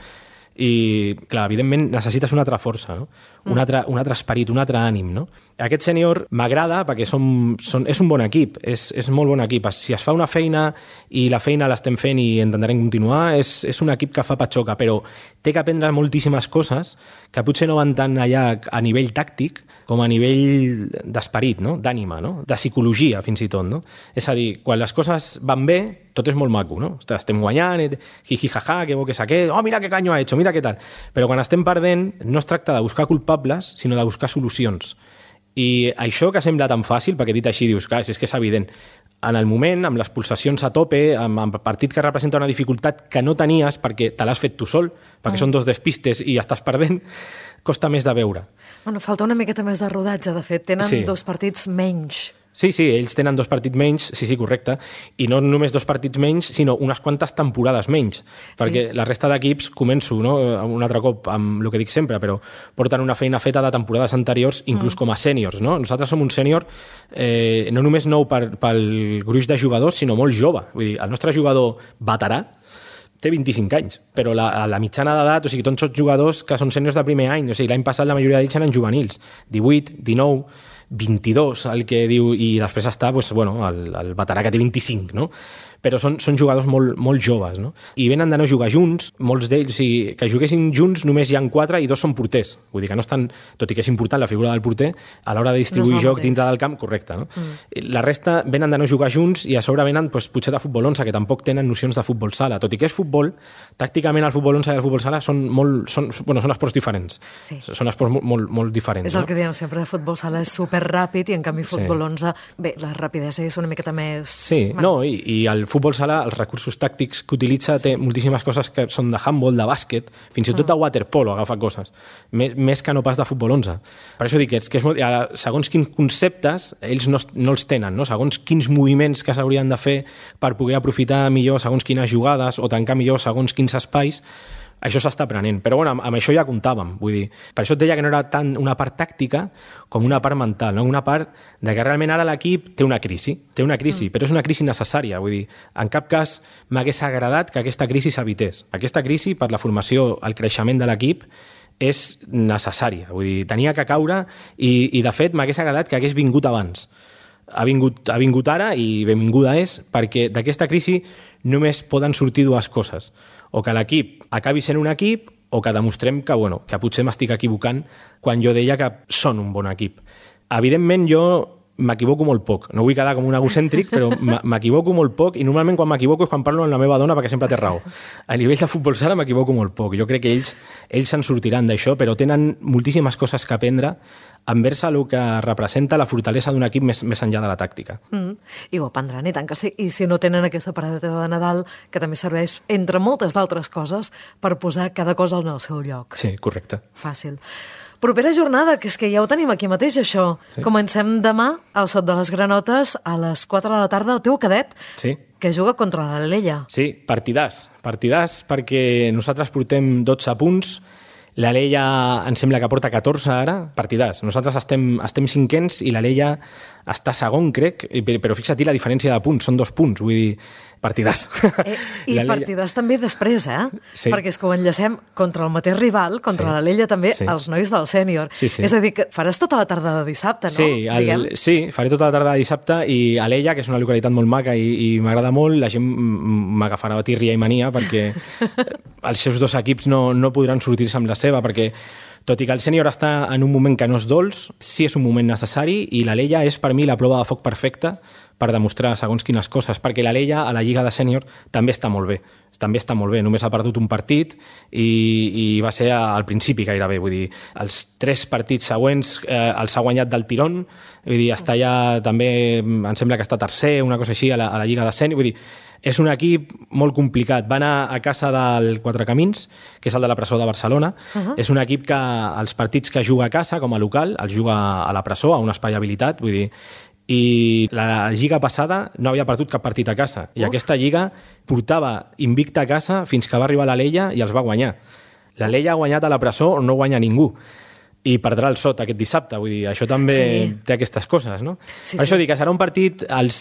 I, clar, evidentment necessites una altra força, no? Un altre esperit, un altre ànim, no? Aquest sènior m'agrada perquè és un bon equip, és molt bon equip. Si es fa una feina i la feina l'estem fent i intentarem continuar, és un equip que fa patxoca, però té que aprendre moltíssimes coses que potser no van tant allà a nivell tàctic com a nivell d'esperit, no? D'ànima, no? De psicologia, fins i tot, no? És a dir, quan les coses van bé, tot és molt maco, no? Estem guanyant, jijijaja, que bo que és aquest, oh, mira que caño ha hecho, mira què tal. Però quan estem perdent, no es tracta de buscar culpables, sinó de buscar solucions. I això que sembla tan fàcil, perquè dit així dius, clar, és que és evident, en el moment, amb les pulsacions a tope, amb partit que representa una dificultat que no tenies perquè te l'has fet tu sol, perquè són 2 despistes i estàs perdent, costa més de veure. Bueno, falta una miqueta més de rodatge, de fet. Tenen 2 partits menys. Sí, ells tenen 2 partits menys, sí, correcte, i no només 2 partits menys, sinó unes quantes temporades menys, perquè la resta d'equips, començo un altre cop amb el que dic sempre, però porten una feina feta de temporades anteriors, inclús com a sèniors, no? Nosaltres som un sènior no només nou pel gruix de jugadors, sinó molt jove. Vull dir, el nostre jugador veterà té 25 anys, però la mitjana d'edat, o sigui, tots són jugadors que són sèniors de primer any, o sigui, l'any passat la majoria d'ells eren juvenils, 18, 19, 22, el que diu, i després està el veterà que té 25, no? Però són jugadors molt joves, no? I venen de no jugar junts, molts d'ells, que juguessin junts només hi ha 4 i 2 són porters. Vull dir que no estan, tot i que és important la figura del porter, a l'hora de distribuir joc dintre del camp, correcte, no? La resta venen de no jugar junts i a sobre venen potser de futbol 11, que tampoc tenen nocions de futbol sala. Tot i que és futbol, tàcticament el futbol 11 i el futbol sala són esports diferents. Sí. Són esports molt diferents. És el que diem sempre, de futbol sala és superràpid i en canvi futbol 11, bé, la rapidesa és una miqueta més... Sí, no, i el futbol sala, els recursos tàctics que utilitza, té moltíssimes coses que són de handball, de bàsquet, fins i tot de waterpolo agafa coses, més que no pas de futbol 11. Per això dic que és molt... Segons quins conceptes, ells no els tenen, no? Segons quins moviments que s'haurien de fer per poder aprofitar millor segons quines jugades o tancar millor segons quins espais, això s'està aprenent. Però amb això ja comptàvem. Vull dir, per això et deia que no era tant una part tàctica com una part mental, no? Una part de que realment ara l'equip té una crisi, però és una crisi necessària. Vull dir, en cap cas m'hagués agradat que aquesta crisi s'evités. Aquesta crisi, per la formació, el creixement de l'equip, és necessària. Vull dir, tenia que caure i de fet, m'hagués agradat que hagués vingut abans. Ha vingut ara i benvinguda és, perquè d'aquesta crisi només poden sortir 2 coses. O que l'equip acabi sent un equip o que demostrem que potser m'estic equivocant quan jo deia que són un bon equip. Evidentment, jo m'equivoco molt poc. No vull quedar com un egocèntric, però m'equivoco molt poc i normalment quan m'equivoco és quan parlo amb la meva dona perquè sempre té raó. A nivell de futbol sala m'equivoco molt poc. Jo crec que ells se'n sortiran d'això, però tenen moltíssimes coses que aprendre envers el que representa la fortalesa d'un equip més enllà de la tàctica. I ho aprendran, i tant que sí. I si no tenen aquesta paradeta de Nadal, que també serveix, entre moltes d'altres coses, per posar cada cosa en el seu lloc. Sí, correcte. Fàcil. Propera jornada, que és que ja ho tenim aquí mateix, això. Sí. Comencem demà al Sot de les Granotes a les 4 de la tarda, el teu cadet, que juga contra l'Alella. Sí, partidàs perquè nosaltres portem 12 punts, l'Alella em sembla que porta 14 ara, partidàs. Nosaltres estem 5ens i l'Alella està segon, crec, però fixa-t'hi la diferència de punts, són 2 punts, vull dir, partidàs. I partidàs també després, Sí. Perquè és que ho enllacem contra el mateix rival, contra l'Alella també, els nois del sènior. Sí. És a dir, que faràs tota la tarda de dissabte, no? Sí, faré tota la tarda de dissabte i Alella, que és una localitat molt maca i m'agrada molt, la gent m'agafarà tirria i mania perquè els seus 2 equips no podran sortir-se amb la seva, perquè tot i que el sènior està en un moment que no és dolç, sí és un moment necessari i l'Alella és per mi la prova de foc perfecta per demostrar segons quines coses, perquè l'Alella a la Lliga de Sènior també està molt bé, només ha perdut un partit i va ser al principi gairebé, vull dir, els 3 partits següents els ha guanyat del tirón, vull dir, està ja també, em sembla que està tercer, una cosa així a la Lliga de Sènior, vull dir, és un equip molt complicat. Va anar a casa del Quatre Camins, que és el de la presó de Barcelona. És un equip que els partits que juga a casa, com a local, els juga a la presó, a un espai habilitat, vull dir, i la lliga passada no havia perdut cap partit a casa. I aquesta lliga portava invicta a casa fins que va arribar l'Alella i els va guanyar. L'Alella ha guanyat a la presó on no guanya ningú. I perdrà el Sot aquest dissabte, vull dir, això també té aquestes coses, no? Per això dic que serà un partit, els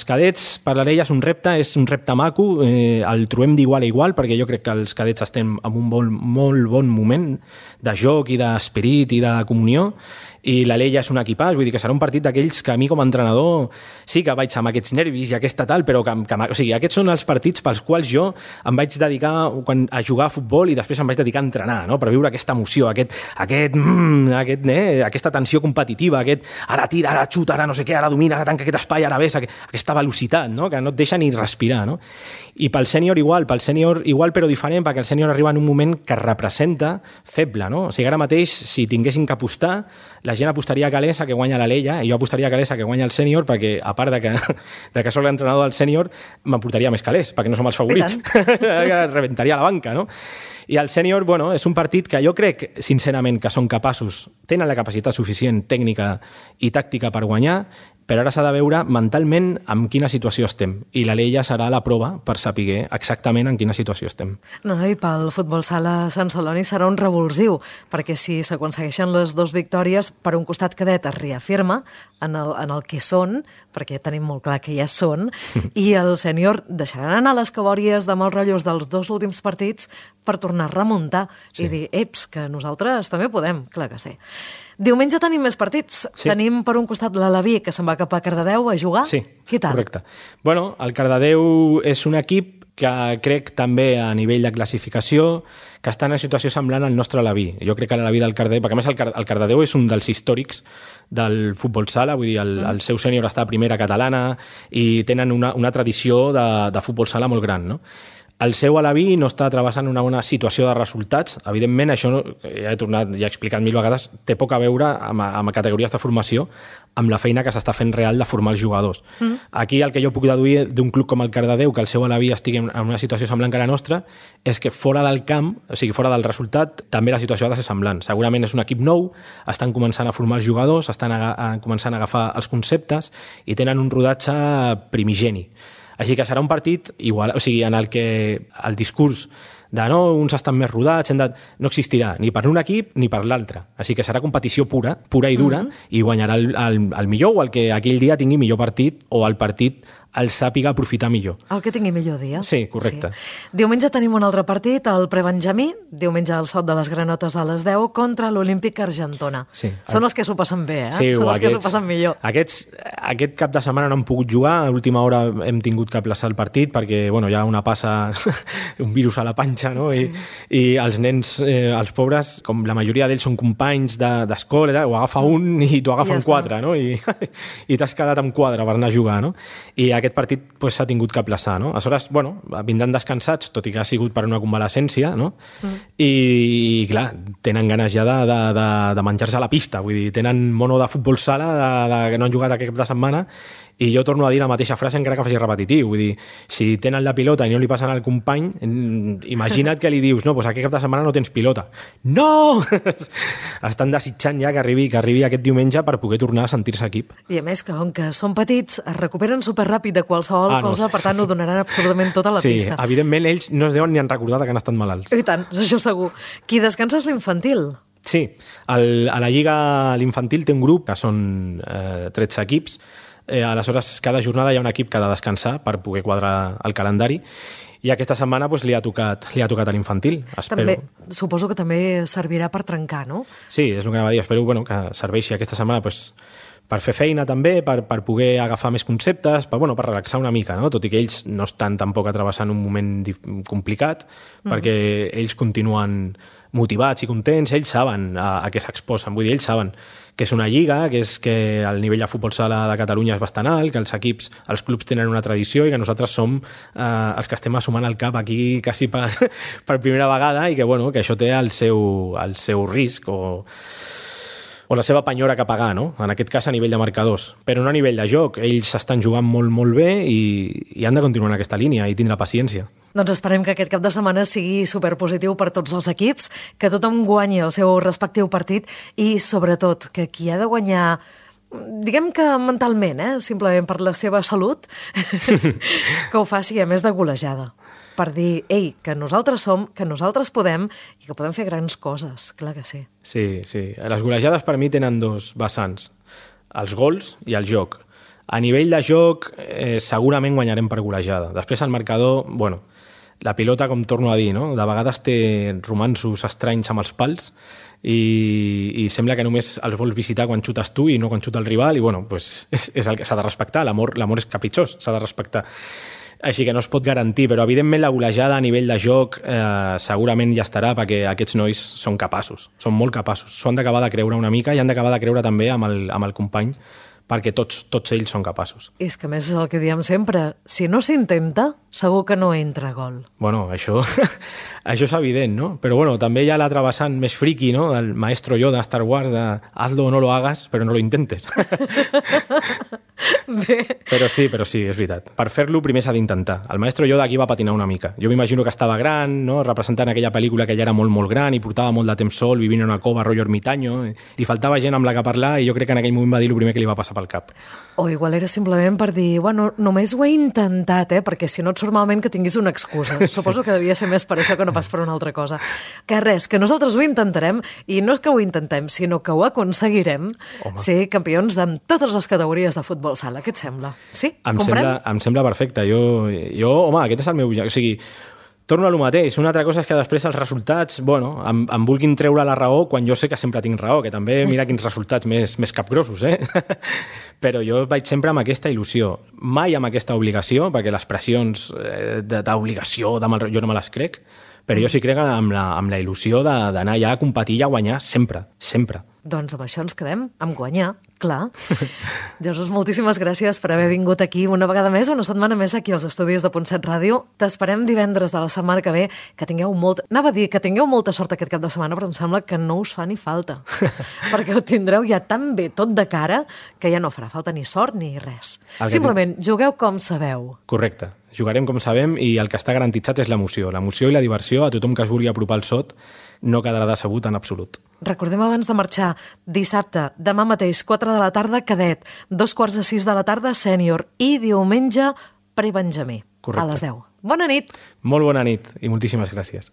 cadets per l'Alella és un repte maco, el trobem d'igual a igual, perquè jo crec que els cadets estem en un molt bon moment de joc i d'esperit i de comunió, i l'Alella és un equipàs, vull dir que serà un partit d'aquells que a mi com a entrenador sí que vaig amb aquests nervis i aquesta tal, però o sigui, aquests són els partits pels quals jo em vaig dedicar a jugar a futbol i després em vaig dedicar a entrenar, no? Per viure aquesta emoció, aquesta tensió competitiva, ara tira, ara xuta, ara no sé què, ara domina, ara tanca aquest espai, ara ves, aquesta velocitat, no? Que no et deixa ni respirar, no? I pel sènior igual però diferent, perquè el sènior arriba en un moment que representa feble, no? O sigui, ara mateix, si tinguessin que apostar, la la gent apostaria calés a que guanya la Leia i jo apostaria calés a que guanya el sènior perquè, a part de que soc l'entrenador del sènior, m'emportaria més calés, perquè no som els favorits. Rebentaria la banca, no? I el sènior, bueno, és un partit que jo crec, sincerament, que són capaços, tenen la capacitat suficient tècnica i tàctica per guanyar, però ara s'ha de veure mentalment en quina situació estem. I la Leia serà la prova per saber exactament en quina situació estem. No, i pel futbol sala Sant Celoni serà un revulsiu, perquè si s'aconsegueixen les 2 victòries, per un costat cadet es reafirma en el que són, perquè tenim molt clar que ja són, i el sènior deixaran anar les cabòries de mals rotllos dels 2 últims partits per tornar a remuntar i dir, eps, que nosaltres també podem, clar que sí. Diumenge tenim més partits. Sí. Tenim per un costat l'Alaví, que se'n va cap a Cardedeu a jugar. Sí, què tal? Correcte. Bueno, el Cardedeu és un equip que crec també a nivell de classificació que està en una situació semblant al nostre Alaví. Jo crec que l'Alaví del Cardedeu, perquè a més el Cardedeu és un dels històrics del futbol sala, vull dir, el seu sènior està a primera catalana i tenen una tradició de futbol sala molt gran, no? El seu Alaví no està travessant una bona situació de resultats. Evidentment, això ja he explicat 1000 vegades, té poc a veure amb categories de formació, amb la feina que s'està fent real de formar els jugadors. Aquí el que jo puc deduir d'un club com el Cardedeu, que el seu Alaví estigui en una situació semblant que la nostra, és que fora del camp, o sigui, fora del resultat, també la situació ha de ser semblant. Segurament és un equip nou, estan començant a formar els jugadors, estan començant a agafar els conceptes i tenen un rodatge primigeni. Així que serà un partit igual, o sigui, en el que el discurs de no, uns estan més rodats, no existirà ni per un equip ni per l'altre. Així que serà competició pura i dura, i guanyarà el millor o el que aquell dia tingui millor partit o el partit el sàpiga aprofitar millor. El que tingui millor dia. Sí, correcte. Sí. Diumenge tenim un altre partit, el Prebenjamí, diumenge al Sot de les Granotes a les 10 contra l'Olímpic Argentona. Sí. Són els que s'ho passen bé, Sí, són els que s'ho passen millor. Aquest cap de setmana no han pogut jugar, a l'última hora hem tingut que aplaçar el partit perquè hi ha una passa, un virus a la panxa, no? Sí. I els nens, els pobres, com la majoria d'ells són companys d'escola, ho agafa un i t'ho agafen 4, no? I t'has quedat amb 4 per anar a jugar, no? I aquest partit s'ha tingut que aplaçar, no? Aleshores, vindran descansats, tot i que ha sigut per una convalescència, no? I clar, tenen ganes ja de menjar-se a la pista, vull dir, tenen mono de futbol sala que no han jugat aquest cap de setmana, i jo torno a dir la mateixa frase encara que faci repetitiu, vull dir, si tenen la pilota i no li passen al company, imagina't que li dius, no, doncs aquest cap de setmana no tens pilota. No! Estan desitjant ja que arribi aquest diumenge per poder tornar a sentir-se equip. I a més que, com que són petits, es recuperen superràpid de qualsevol cosa, per tant ho donaran absolutament tot a la pista. Sí, evidentment ells no es deuen ni han recordat que han estat malalts. I tant, això segur. Qui descansa és l'infantil. Sí, a la Lliga l'infantil té un grup que són 13 equips. Aleshores, cada jornada hi ha un equip que ha de descansar per poder quadrar el calendari, i aquesta setmana li ha tocat a l'infantil. També, suposo que també servirà per trencar, no? Sí, és el que anava a dir. Espero que serveixi aquesta setmana per fer feina també, per poder agafar més conceptes, per relaxar una mica, no? Tot i que ells no estan tampoc travessant un moment complicat, perquè ells continuen motivats i contents, ells saben a què s'exposen, vull dir, ells saben que és una lliga, que és que el nivell de futbol sala de Catalunya és bastant alt, que els clubs tenen una tradició i que nosaltres som els que estem assumant el cap aquí quasi per primera vegada, i que això té el seu risc o la seva penyora que pagar, no? En aquest cas a nivell de marcadors, però no a nivell de joc. Ells estan jugant molt, molt bé i han de continuar en aquesta línia i tindre paciència. Doncs esperem que aquest cap de setmana sigui superpositiu per tots els equips, que tothom guanyi el seu respectiu partit i, sobretot, que qui ha de guanyar, diguem que mentalment, simplement per la seva salut, que ho faci a més de golejada. Per dir, ei, que nosaltres som, que nosaltres podem i que podem fer grans coses, clar que sí. Sí. Les golejades per mi tenen 2 vessants, els gols i el joc. A nivell de joc, segurament guanyarem per golejada. Després el marcador, la pilota, com torno a dir, no? De vegades té romanços estranys amb els pals i sembla que només els vols visitar quan xutes tu i no quan xuta el rival, i és el que s'ha de respectar. L'amor és capritxós, s'ha de respectar. Així que no es pot garantir, però evidentment la golejada a nivell de joc segurament ja estarà, perquè aquests nois són capaços, són molt capaços. S'ho han d'acabar de creure una mica i han d'acabar de creure també amb el company perquè tots ells són capaços. És que a més és el que diem sempre, si no s'intenta, segur que no entra gol. Bueno, això és evident, no? Però bueno, també hi ha l'altre vessant més friqui, no? Del maestro Yoda de Star Wars, de hazlo o no lo hagas, però no lo intentes. Bé. Però sí, és veritat. Per fer-lo primer s'ha d'intentar. El maestro Yoda aquí va patinar una mica. Jo m'imagino que estava gran, no? Representant aquella pel·lícula que ja era molt, molt gran i portava molt de temps sol, vivint en una cova, rotllo ermitaño. Li faltava gent amb la que parlar i jo crec que en aquell moment va dir el primer que li va passar pel cap. O igual era simplement per dir, bueno, només ho he intentat, perquè si no et surt malament que tinguis una excusa. Suposo que devia ser més per això que no pas per una altra cosa. Que res, que nosaltres ho intentarem, i no és que ho intentem, sinó que ho aconseguirem ser campions de totes les categories de futbol sala. Què et sembla? Sí? Comprem? Em sembla perfecte. Jo, home, aquest és el meu... O sigui, torno a lo mateix. Una altra cosa és que després els resultats, bueno, em vulguin treure la raó quan jo sé que sempre tinc raó, que també mira quins resultats més capgrossos, Però jo vaig sempre amb aquesta il·lusió, mai amb aquesta obligació, perquè les pressions d'obligació, jo no me les crec, però jo sí crec amb la il·lusió d'anar allà a competir i a guanyar sempre, sempre. Doncs amb això ens quedem, amb guanyar, clar. Jesús, moltíssimes gràcies per haver vingut aquí una vegada més, una setmana més aquí als estudis de Punt7 Ràdio. T'esperem divendres de la setmana que ve, que tingueu molta sort aquest cap de setmana, però em sembla que no us fa ni falta, perquè ho tindreu ja tan bé tot de cara que ja no farà falta ni sort ni res. Simplement, jugueu com sabeu. Correcte. Jugarem com sabem i el que està garantitzat és l'emoció i la diversió. A tothom que es vulgui apropar al sot no quedarà decebut en absolut. Recordem abans de marxar, dissabte, demà mateix, 4 de la tarda, cadet, 5:45 de la tarda, sènior, i diumenge, prebenjamí. Correcte. A les 10. Bona nit! Molt bona nit i moltíssimes gràcies.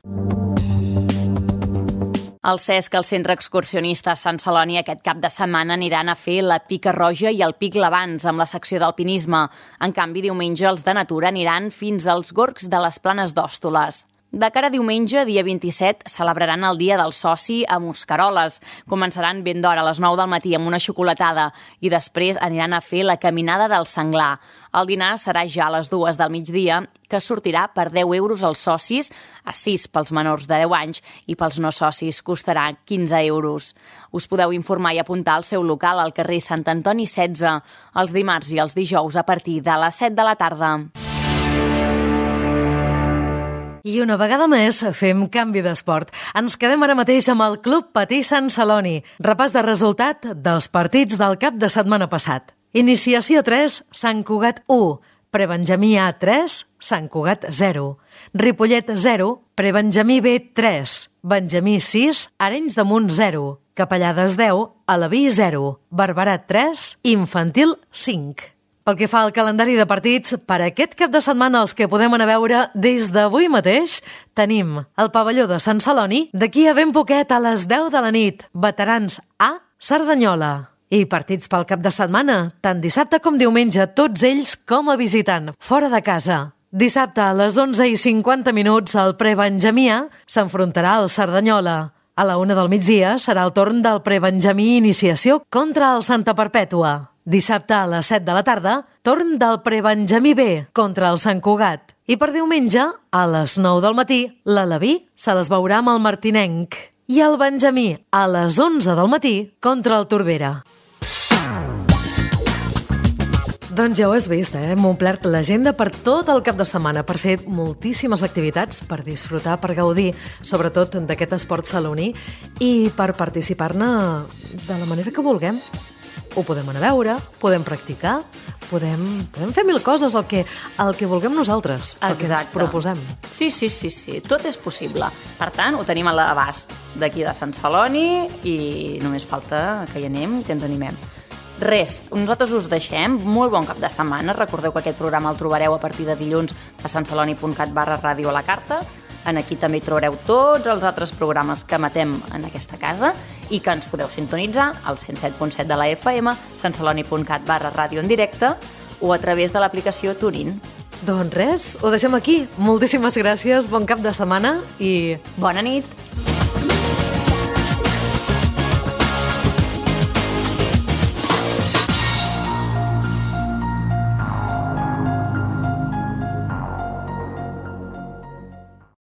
El Cesc, el centre excursionista Sant Celoni, aquest cap de setmana aniran a fer la Pica Roja i el Pic Lavans amb la secció d'alpinisme. En canvi, diumenge els de natura aniran fins als gorgs de les Planes d'Hòstoles. De cara a diumenge, dia 27, celebraran el Dia del Soci a Mosqueroles. Començaran ben d'hora, a les 9 del matí, amb una xocolatada, i després aniran a fer la Caminada del Senglar. El dinar serà ja a les 2 del migdia, que sortirà per 10 euros als socis, a 6 pels menors de 10 anys, i pels no socis costarà 15 euros. Us podeu informar i apuntar al seu local al carrer Sant Antoni 16, els dimarts i els dijous a partir de les 7 de la tarda. I una vegada més fem canvi d'esport. Ens quedem ara mateix amb el Club Patí Sant Celoni. Repàs de resultat dels partits del cap de setmana passat. Iniciació 3, Sant Cugat 1. Prebenjamí A 3, Sant Cugat 0. Ripollet 0, Prebenjamí B 3. Benjamí 6, Arenys de Munt 0. Capellades 10, Alaví 0. Barberà 3, Infantil 5. Pel que fa al calendari de partits, per aquest cap de setmana els que podem anar a veure des d'avui mateix, tenim el pavelló de Sant Celoni, d'aquí a ben poquet a les 10 de la nit, Veterans A, Cerdanyola. I partits pel cap de setmana, tant dissabte com diumenge, tots ells com a visitant, fora de casa. Dissabte a les 11:50 el Prebenjamí A s'enfrontarà al Cerdanyola. A la 1 del migdia serà el torn del Prebenjamí Iniciació contra el Santa Perpètua. Dissabte a les 7 de la tarda, torn del Prebenjamí B contra el Sant Cugat. I per diumenge, a les 9 del matí, l'Alaví se les veurà amb el Martinenc. I el Benjamí, a les 11 del matí, contra el Tordera. Doncs ja ho has vist, hem omplert l'agenda per tot el cap de setmana, per fer moltíssimes activitats, per disfrutar, per gaudir, sobretot d'aquest esport saloní, i per participar-ne de la manera que vulguem. Ho podem anar a veure, podem practicar, podem fer mil coses, el que vulguem nosaltres, el que ens proposem. Sí, tot és possible. Per tant, ho tenim a l'abast d'aquí de Sant Celoni i només falta que hi anem i que ens animem. Res, nosaltres us deixem. Molt bon cap de setmana. Recordeu que aquest programa el trobareu a partir de dilluns a santceloni.cat/ràdio a la carta. En aquí també hi trobareu tots els altres programes que emetem en aquesta casa i que ens podeu sintonitzar al 107.7 de la FM, santceloni.cat/ràdio en directe o a través de l'aplicació TuneIn. Doncs res, ho deixem aquí. Moltíssimes gràcies, bon cap de setmana i... Bona nit!